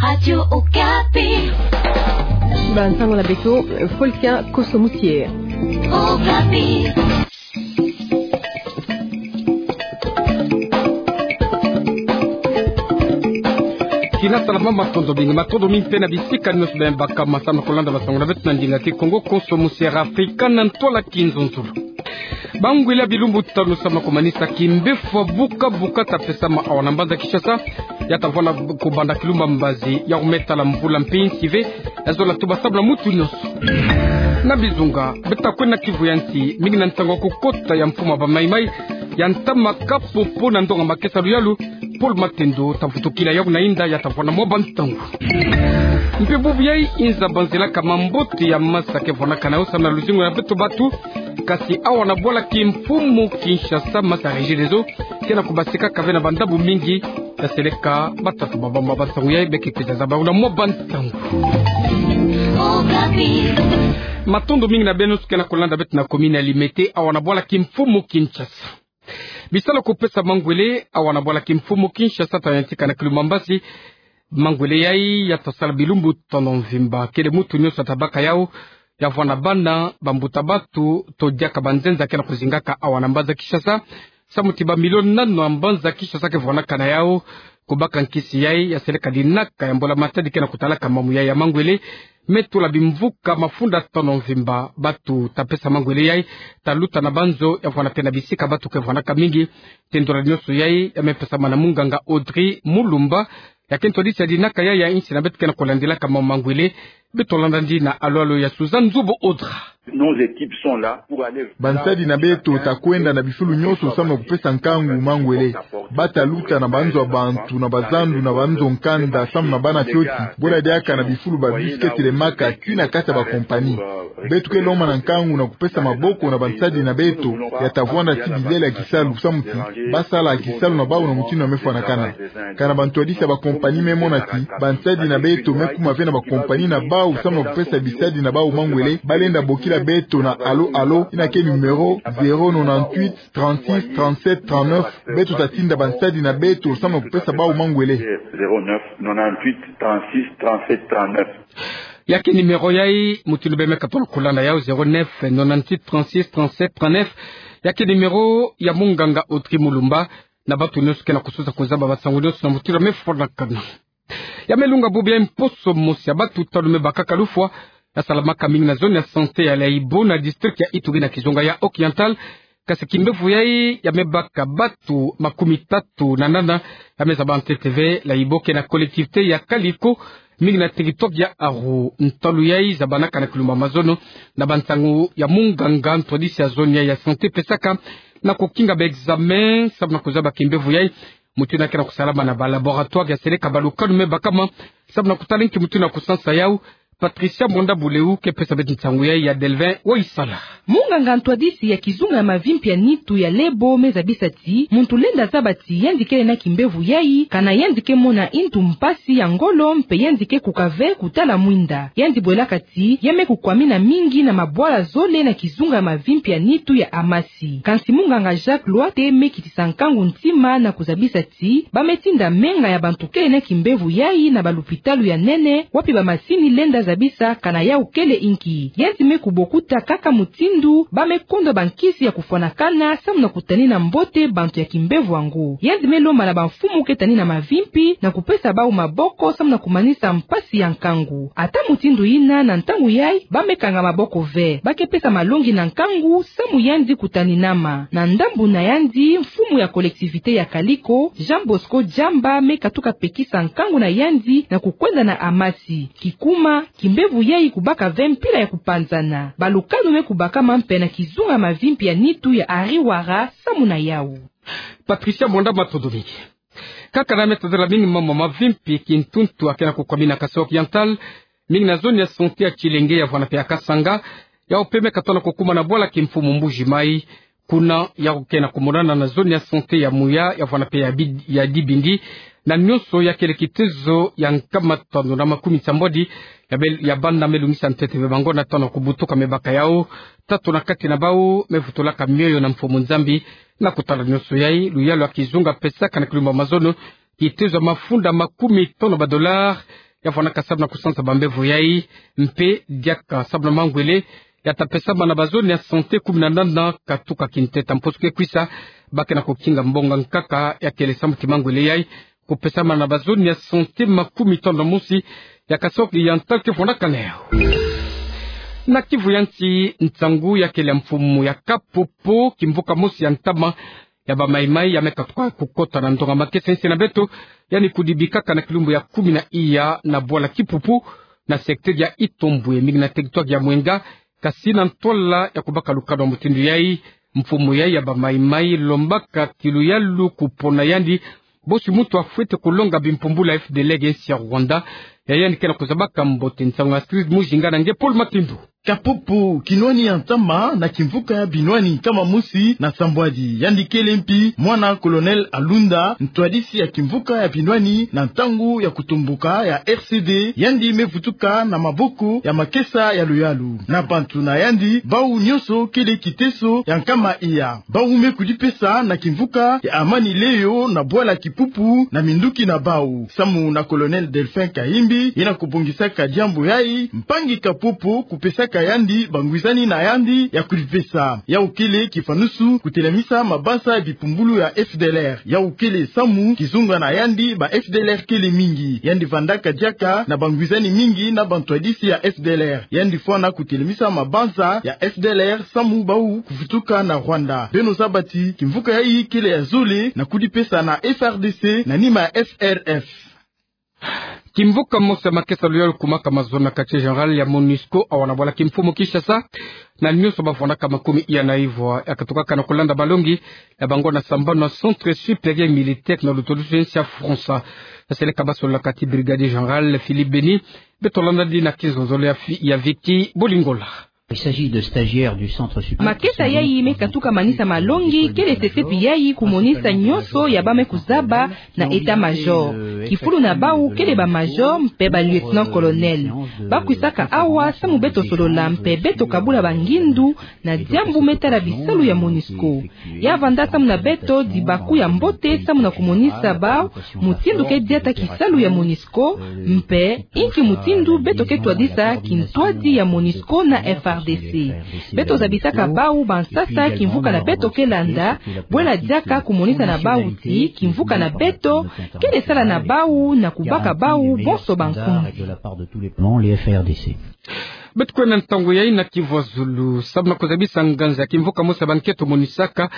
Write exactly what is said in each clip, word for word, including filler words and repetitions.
Radio Okapi. Ba nsangu na beto, Folkia Koso Musie. Okapi. Kina salama, matondo mingi, matondo mingi mpe na bisika nyonso beno baka masamu na kolanda bansangu na beto na ndinga Kikongo. Koso Musie Afrika na ntwala kinzonzolo. Bangwele ya bilumbu tanu samu na kumanisa kimbevo buka buka ta pesama awa na mbanza Kinshasa, ya ta vwanda kubanda kilumba mbazi, ya kumeta la mvula mpe nsive, ya zola tuba samu na mutu nyonso. Na bizunga, beto ta kwenda Kivu ya nsi, mingi na ntangu ya kukota ya mfumu wa ba Maï-Maï ya ntama Kapopo na ndonga makesa luyalu, Paul Matendo ta vutukila yawu na inda, ya ta vwanda mwa bantangu. Mpe bubu yayi, inza banzelaka mambote ya masa ke vwanakana yo samu na luzingu ya beto bantu, kasi awa na bwala kimfumu Kinshasa, masa Regideso ke na kubasikaka ve na bandambu mingi, ya seleka batata baba mwa bantangu yayi. Beke kwiza zaba yawu na mwa bantangu. Matondo mingi na beno nyonso ke na kolanda beto na commune ya Limete, awa na bwala kimfumu Kinshasa. Bisalu ya kupesa mangwele awa na bwala kimfumu Kinshasa ta yantika na kilumba mbazi. Mangwele yayi ya ta sala bilumbu tanu mvimba. Kele mutu nyonso ya ta baka yawu, ya vwanda bana, bambuta bantu, to diaka banzenza ke na kuzingaka awa na mbanza Kinshasa. Samu ti ba milio nanu ya mbanza Kinshasa ke vwanakana yawu. Kubaka nkisi yayi, ya seleka dinaka ya mbula-matadi ke na kutalaka mambu yayi ya mangwele. Me tula bimvuka mafunda tanu mvimba, bantu ta pesa mangwele yayi, ta luta na banzo, ya vwanda mpe na bisika bantu ke vwanaka mingi. Tendula nyonso yayi, ya me pesama na munganga Audrey Mulumba, ya ke ntwadisi ya dinaka yayi ya insi na beto ke na kulandilaka mambu mangwele. Beto landa ndi na alo-alo ya Suzanne Nzubu Audra. Nos équipes sont là pour aller. Bansadi na beto ta kwenda na bifulu nyonso samu na kupesa nkangu mangwele. Ba ta luta na banzo ya bantu, na bazandu, na banzo nkanda, samu na bana fioti. Bwela diaka na bifulu ba bus ke telemaka, kina kati ya ba compagnie. Beto ke lomba na nkangu na kupesa maboko na bansadi na beto, ya ta vwanda ti bizele ya kisalu, samu ti ba sala kisalu na bawu na mutindu ya me fwanakana. Kana bantwadisi ya ba compagnie me mona ti bansadi na beto me kuma ve na ba compagnie na bawu samu na kupesa bisadi na bawu mangwele, ba lenda bokila beto na alo-alo, yina ke numéro zéro nonante-huit trente-six trente-sept trente-neuf. Beto ta tinda bansadi na beto samu na kupesa bawu mangwele. Zéro neuf nonante-huit trente-six trente-sept trente-neuf. Ya ke numéro yayi, mutindu beno me katola kulanda yawu, zéro neuf nonante-huit trente-six trente-sept trente-neuf. Ya ke numéro ya munganga Audrey Mulumba, na bantu nyonso ke na kususa kuzaba bansangu nyonso na mutindu ya me fwanakana. Ya me lunga bubu yayi, mposo mosi ya bantu tanu me bakaka lufwa, ya salamaka mingi na zone ya santé ya Layibo na district ya Ituri na kizunga ya Oriental. Kasi kimbevo yayi ya me baka bantu makumi tatu na nana, ya me zaba ntete ve Layibo ke na collectivité ya Kaliko, mingi na territoire ya Aru. Ntalu yayi zabanaka na kilumba mazono, na bansangu ya munganga ntwadisi ya zone yayi ya santé pesaka, na kukinga ba examen samu na kuzaba kimbevo yayi, mutindu yina ke na kusalama na ba laboratoire ya seleka balukanu me bakama, samu na kutala nki mutindu ya kusansa yawu. Patricia Mwanda Buleu ke pesa beto nsangu yayi ya Delvin Waisala. Munganga ntwadisi ya kizunga ya mavimpi ya nitu ya Lebo me zabisa ti muntu lenda zaba ti yandi kele na kimbevo yayi, kana yandi ke mona ntu mpasi ya ngolo mpe yandi ke kuka ve kutala mwinda. Yandi bwelaka ti ya me kukwamina mingi na mabwala zole na kizunga ya mavimpi ya nitu ya Amasi. Kansi munganga Jacques Loite me kitisa nkangu ntima na kuzabisa ti ba me tinda menga ya bantu kele na kimbevo yayi na balupitalu ya nene, wapi bamasini lenda zabisa kana yawu kele inki. Yandi me kubokuta kaka mutindu ba me kondwa bankisi ya kufwanakana samu na kutanina mbote bantu ya kimbevo yango. Yandi me lomba na bamfumu ke tanina mavimpi na kupesa bawu maboko samu na kumanisa mpasi ya nkangu. Ata mutindu yina, na ntangu yayi ba me kanga maboko ve. Ba ke pesa malongi na nkangu samu yandi kutaninama. Na ndambu na yandi, mfumu ya collectivité ya Kaliko, Jean Bosco Diamba, me katuka pekisa nkangu na yandi na kukwenda na Amasi. Kikuma, kimbevo yayi kubaka ve mpila ya kupanzana. Balukanu me kubakama mpe na kizunga mavimpi ya nitu ya Ariwara samu na yawu. Patricia Mwanda, matondo mingi. Kaka na me tadela mingi mambu ma mavimpi, kintuntu ya ke na kukwamina Kasai Oriental, mingi na zone ya santé ya Tshilenge, ya vwanda mpe ya Kasanga, yawu mpe me katona kukuma na bwala kimfumu Mbuji-Mayi. Kuna yawu ke na kumonana na zone ya santé ya Muya, ya vwanda mpe ya Bid-, ya Dibindi, na nyonso ya kele kitezo ya nkama tanu na makumi nsambwadi ya bel-, ya bana me lungisa ntete ve bango na tona kubutuka me baka yawu. Tatu na kati na bawu me vutulaka mioyo na mfumu Nzambi. Na kutala nyonso yayi, luyalu ya kizunga pesaka na kilumba mazono kitezo ya mafunda makumi tanu ba dollars, ya vwanaka sabu na kusansa bambevo yai, mpe diaka sabu na mangwele ya ta pesama na bazone ya santé kumi na nana katuka kinteta. Mposo ke kwisa, ba ke na kukinga mbonga nkaka ya kele samu ti mangwele yai kupesama na bazone ya santé makumi tanu na mosi ya kasoki ya nta ke vwanaka na yo. Na Kivu ya nsi, nsangu ya kele ya mfumu ya Kapopo, kimvuka mosi ya ntama ya ba Maï-Maï ya me katuka kukota na ndonga makesa nsi na beto, yandi kudibikaka na kilumbu ya kumi na iya na bwala Kipupu, na secteur ya Itombwe, mingi na territoire ya Mwenga, kasi na ntwala ya kubaka lukanu ya mutindu yai, mfumu yai ya ba Maï-Maï lombaka kiluyalu kupona yandi bosi muntu afwete kulonga bimpumbulu ya F D L R nge nsi ya Rwanda. Ya yandi ke na kuzabaka mbote. Nsangu ya Astrid Mujinga na nge Paul Matindu. Kapopo, kinwani ya ntama na kimvuka ya binwani nkama mosi na sambwadi. Yandi kele mpi mwana Colonel Alunda, ntwadisi ya kimvuka ya binwani na ntangu ya kutomboka ya R C D. Yandi me vutuka na maboko ya makesa ya luyalu na bantu na yandi. Bau nyonso kele kiteso ya nkama iya. Bau me kudipesa na kimvuka ya Amani Leyo na bwala Kipupu na minduki na bau. Samu na Colonel Delphin Kahimbi, yina kubongisaka diambu yai, mpangi Kapopo kupesaka yandi bangwizani na yandi ya kudipesa. Yau kele kifanusu kutelamisa mabanza ya bipumbulu ya F D L R. Yau kele samu kizunga na yandi ba F D L R kele mingi. Yandi vandaka diaka na bangwizani mingi na bantwadisi ya F D L R. Yandi fwana kutelamisa mabanza ya F D L R samu bau kuvutuka na Rwanda. Beno zaba ti kimvuka yai kele ya zole na kudipesa na F R D C na nima ya F R F. Kimvuka mosi ya makesa luyalu kumaka mazono na quartier général ya MONUSCO awa na bwala kimfumu Kinshasa, na nyonso ba vwanaka makumi iya na ivwa ya katukaka na kulanda malongi ya bango na sambanu na Centre Supérieur Militaire na lutulusu ya nsi ya France. Baseleka ba sololaka ti Brigadier Général Philippe Beni. Beto landa di na kinzonzolo ya fi-, ya Vicky Bolingola. Il s'agit de stagiaires du Centre Supérieur. Makesa yai me katuka manisa malongi, kele sesepi yai kumonisa nyonso ya ba me kuzaba na état-major. Kifulu na bau kele ba major mpe ba lieutenant-colonel. Ba kwisaka awa samu beto solola mpe beto kabula bangindu na diambu me tala bisalu ya MONUSCO. Ya vanda samu na beto dibaku ya mbote samu na kumonisa bau mutindu ke diata kisalu ya MONUSCO, mpe inki mutindu beto ke twadisa kintwadi ya MONUSCO na F R D C. Beto zabisaka bau bansasa kimvuka na beto ke landa, bwela diaka kumonisa na bau ti kimvuka na beto kele sala na bau na kubaka bau bonso bankumbi. Beto kwenda ntangu yai na Kivu ya Zulu, samu na kuzabisa nganza ya kimvuka mosi ya bankento monisaka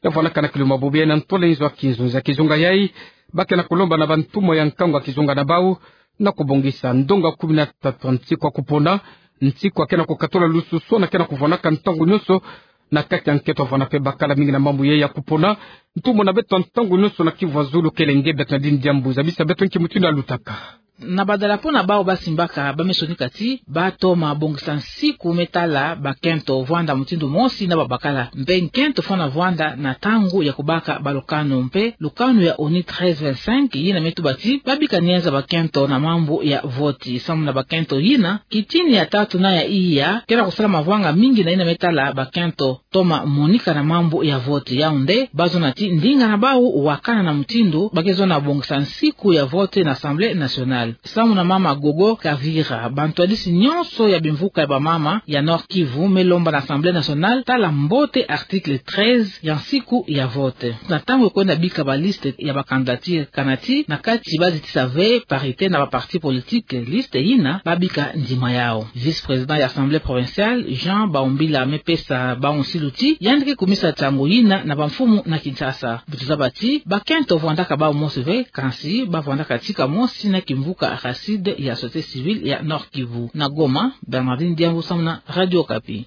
ya vwanaka na kiluma bobo yai na ntwala inzo ya kinzonzi ya kizunga yai. Ba ke na kulomba na bantumwa ya nkangu ya kizunga na bau na kubongisa ndonga kumi na tatu ya nsiku ya kupona, nsiku ya ke na kukatula lususu na ke na kuvwanaka ntangu nyonso na kati ya nkento, vwana mpe bakala mingi na mambu yai ya kupona. Ntumwa na beto ntangu nyonso na Kivu ya Zulu kele nge, beto na dini diambu, zabisa beto nki mutindu ya lutaka. Na badalapo na bau ba simbaka, ba me sonika ti ba toma bongisa nsiku me tala bakento vwanda mutindu mosi na babakala. Mpe nkento fwana vwanda na ntangu ya kubaka balukanu, mpe lukanu ya ONU treize vingt-cinq yina me tuba ti ba bika nienza bakento na mambu ya voti. Samu na bakento yina, kitini ya tatu na ya iya ke na kusala mavwanga mingi na yina me tala bakento toma monika na mambu ya voti. Yau nde ba zona ti ndinga na bau wakana na mutindu ba ke zona bongisa nsiku ya voti na Assemblée nationale. Samu na mama Gogo Kavira, bantwadisi nyonso ya bimvuka ya bamama ya Nord-Kivu me lomba na Assemblée nationale tala mbote article treize ya nsiku ya voti. Na ntangu ya kwenda bika baliste ya bacandidature, kana ti na kati ba zitisa ve parité na baparti politique, liste yina ba bika ndima yau. Vice-président ya Assemblée provinciale, Jean Baumbila, me pesa bau nsilu ti yandi ke kumisa nsangu yina na bamfumu na Kinshasa. Beto zaba ti bakento vwandaka bau mosi ve, kansi ba vwandaka tika mosi na kimvuka Racide ya société civile ya Nord-Kivu. Na Goma, Bernardine Diambu samu na Radio Okapi.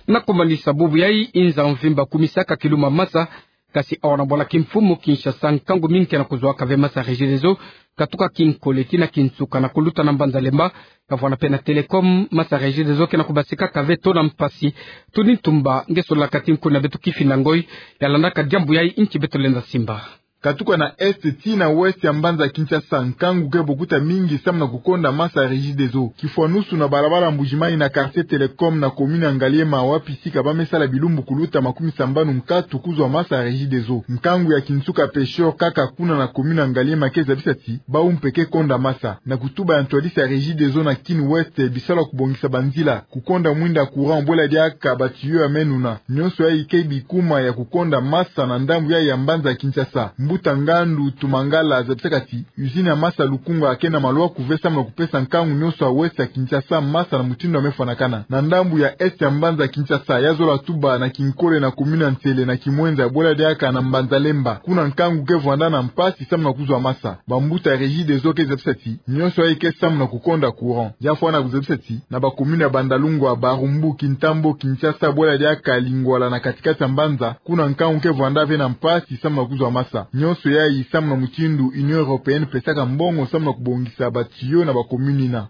Na kumanisa bubu yai, inza mvimba kumisaka kiluma masa, kasi awa na bwala kimfumu Kinshasa, nkangu mingi ke na kuzwaka ve masa Regideso katuka kinkole tii na kinsuka na kuluta na mbanza Lemba. Ya vwana mpe na Telecom, masa Regideso ke na kubasikaka ve tona mpasi. Tony Ntumba, nge sololaka ti nkuna beto Kifinda Ngoy, ya landaka diambu yai, nki beto lenda simba. Katuka na est tii na ouest ya mbanza Kinshasa, nkangu ke bokuta mingi samu na kukonda masa ya Regideso. Kifwanusu na balabala Mbuji-Mayi na quartier Telecom na commune ya Ngaliema, wapi sika ba me sala bilumbu kuluta makumi sambanu nkatu kuzwa masa ya Regideso. Nkangu ya kinsuka Pêcheur kaka kuna na commune ya Ngaliema ke zabisa ti bawu mpe ke konda masa. Na kutuba ya ntwadisi ya Regideso na Kin Ouest, bisalu ya kubongisa banzila, kukonda mwinda courant, bwela diaka ba tuyau ya me nuna, nionso yayi ke bikuma ya kukonda masa na ndambu yayi ya mbanza Kinshasa. Mbuta Ngandu Tumangala zabisaka ti usine ya masa Lukunga ke na malwa kuve samu na kupesa nkangu nionso ya ouest ya Kinshasa masa na mutindu ya me fwanakana. Na ndambu ya est ya mbanza Kinshasa, ya zola tuba na kinkole na commune ya Nsele, na Kimwenza, bwela diaka na mbanza Lemba, kuna nkangu ke vwanda na mpasi samu na kuzwa masa. Bambuta ya Regideso ke zabisa ti nionso yayi ke samu na kukonda courant. Ya fwana kuzabisa ti na ba commune ya Bandalungwa, Barumbu, Kintambo, Kinshasa, bwela diaka Lingwala na kati-kati ya mbanza, kuna nkangu ke vwanda ve na mpasi samu na kuzwa masa. Nionso yayi samu na mutindu Union Européenne pesaka mbongo samu na kubongisa ba tuyau na ba commune ina.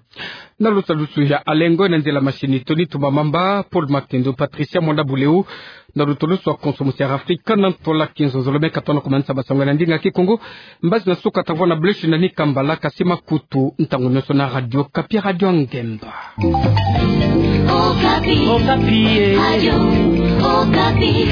Na lusalusu ya Alengo, na nzila machine Tony Tumba Mamba, Paul Makendo, Patricia Mwanda Buleu, na lutoloso ya Konso Musi ya Afrika, na ntola Kinzonzolo me katona kumanisa masangu na ndinga Kikongo. Mbazi na suka tavwa na Bleu Chine na Nikambala, kasi makutu ntangu nionso na Radio Okapi, Radio Ngemba. Okapi. Okapi, eh. Radio Okapi.